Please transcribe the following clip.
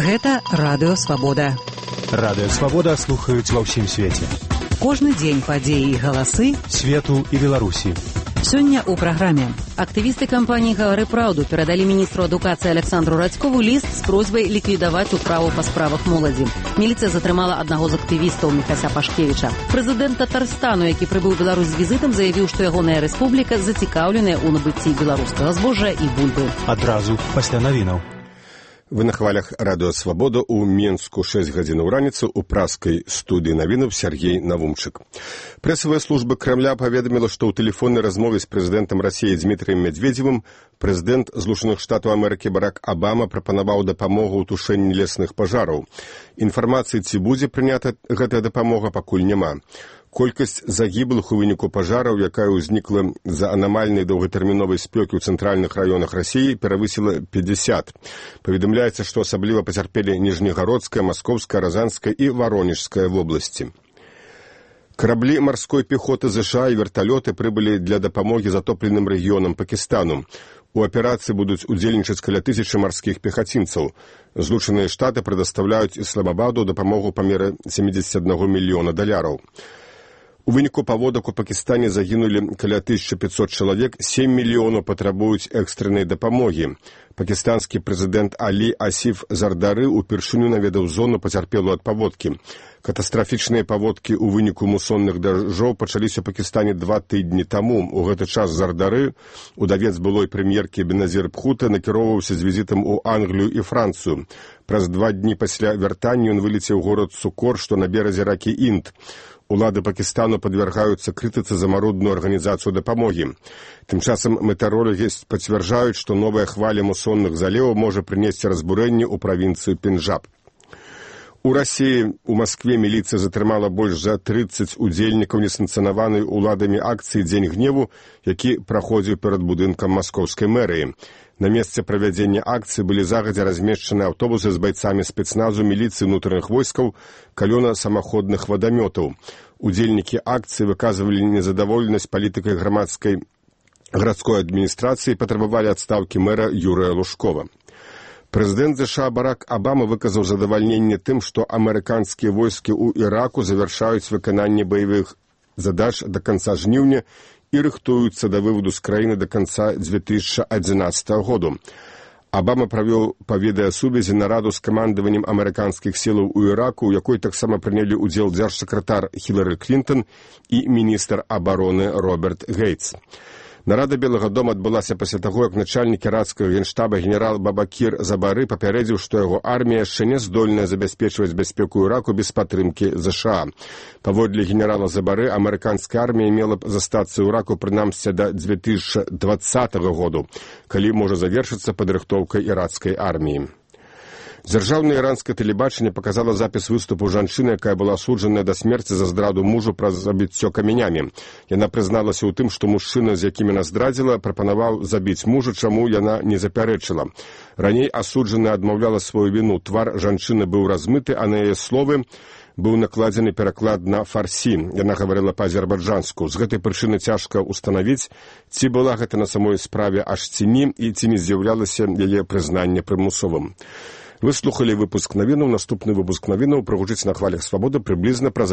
Гэта Радыё Свабода. Радыё Свабода слухаюць ва ўсім свеце. Кожны дзень падзеі і галасы свету і Беларусі. Сёння ў праграме. Актывісты кампаніі «Гавары праўду» перадалі міністру адукацыі Александру Радзькову ліст з просьбай ліквідаваць управу па справах моладзі. Міліцыя затрымала аднаго з актывістаў Міхася Пашкевіча. Прэзідэнт Татарстану, які прыбыў у Беларусь з візітам, заявіў, што ягоная рэспубліка зацікаўленая ў набыцці беларускага збожжа і бульбы. Адразу пасля навінаў. Вы на хвалях Радыё Свабода ў Менску 6 гадзінаў раніцы ў праскай студыі навінаў Сергей Навумчык. Прэсавая служба Крамля паведаміла, што ў тэлефоннай размове з прэзідэнтам Расіі Дмітрыем Медведзевым прэзідэнт Злучаных Штатаў Амерыкі Барак Абама прапанаваў дапамогу ў тушэнні лесных пажараў. Інфармацыі, ці будзе прынята гэтая дапамога, пакуль няма. Колькасць загіблых у выніку пажараў, якая ўзнікла з-за анамальнай доўгатэрміновай спёкі ў цэнтральных раёнах Расіі, перавысіла 50. Паведамляецца, што асабліва пацярпелі Ніжнегародская, Маскоўская, Разанская і Варонежская вобласці. Караблі марской пехоты ЗША і верталёты прыбылі для дапамогі затопленым рэгіёнам Пакістану. У аперацыі будуць удзельнічаць каля 1000 марскіх пехацінцаў. Злучаныя Штаты прадастаўляюць Ісламабаду дапамогу па меры $71 мільёна. У выніку паводак у Пакістане загінулі каля 1500 чалавек, 7 мільёнаў патрабуюць экстрэннай дапамогі. Пакістанскі прэзідэнт Алі Асіф Зардары упершыню наведаў зону пацярпелую ад паводкі. Катастрафічныя паводкі ў выніку мусонных дажджоў пачаліся ў Пакістане 2 тыдні таму. У гэты час Зардары, удавец былой прэм'еркі Беназір Бхута, накіроўваўся з візітам у Англію і Францыю. Праз 2 дні пасля вяртання ён вылецеў у горад Сукор, што на беразе ракі Інд. Улады Пакістану падвяргаюцца крытыцы за марудную арганізацыю дапамогі. Тым часам метэаролагі пацвярджаюць, што новая хваля мусонных заліваў можа прынесці разбурэнне ў правінцыі Пенджаб. У Расіі у Маскве міліцыя затрымала больш за 30 удзельнікаў несанкцыянаванай уладамі акцыі «Дзень гневу», які праходзіў перад будынкам маскоўскай мэрыі. На месцы правядзення акцыі былі загадзя размешчаны аўтобусы з байцамі спецназу, міліцыі ўнутраных войскаў, калёна самаходных вадамётаў. Удзельнікі акцыі выказвалі незадаволенасць палітыкай гарадской адміністрацыі і патрабавалі адстаўкі мэра Юрыя Лужкова. Прэзідэнт ЗША Барак Абама выказаў задавальненне тым, што амерыканскія войскі ў Іраку завяршаюць выкананне баявых задач да канца жніўня і рыхтуюцца да выводу з краіны да канца 2011 году. Абама правёў па відэасувязі нараду з камандаваннем амерыканскіх сілаў у Іраку, у якой таксама прынялі ўдзел дзяржсакратар Хілары Клінтон і міністр абароны Роберт Гейтс. Нарада Белага дома адбылася пасля таго, як начальнік іракскага генштаба генерал Бабакір Забары папярэдзіў, што яго армія яшчэ не здольная забяспечваць бяспеку Іраку без падтрымкі ЗША. Паводле генерала Забары, амерыканская армія мела б застацца ў Іраку прынамсі да 2020 году, калі можа завершыцца падрыхтоўка іракскай арміі. Дзяржаўнае іранскае тэлебачанне паказала запіс выступу жанчыны, якая была асуджаная да смерці за здраду мужу праз забіццё камянямі. Яна прызналася ў тым, што мужчына, з якім яна здрадзіла, прапанаваў забіць мужа, чаму яна не запярэчыла. Раней асуджаная адмаўляла сваю віну. Твар жанчыны быў размыты, а на яе словы быў накладзены пераклад на фарсі. Яна гаварыла па-азербайджанску. З гэтай прычыны цяжка ўстанавіць, ці была гэта на самой справе аж ці не, і ці не з'яўлялася яе прызнанне прымусовым. Вы слухали выпуск навінаў. Наступны выпуск навінаў прагучыць на хвалях Свабоды прыблізна праз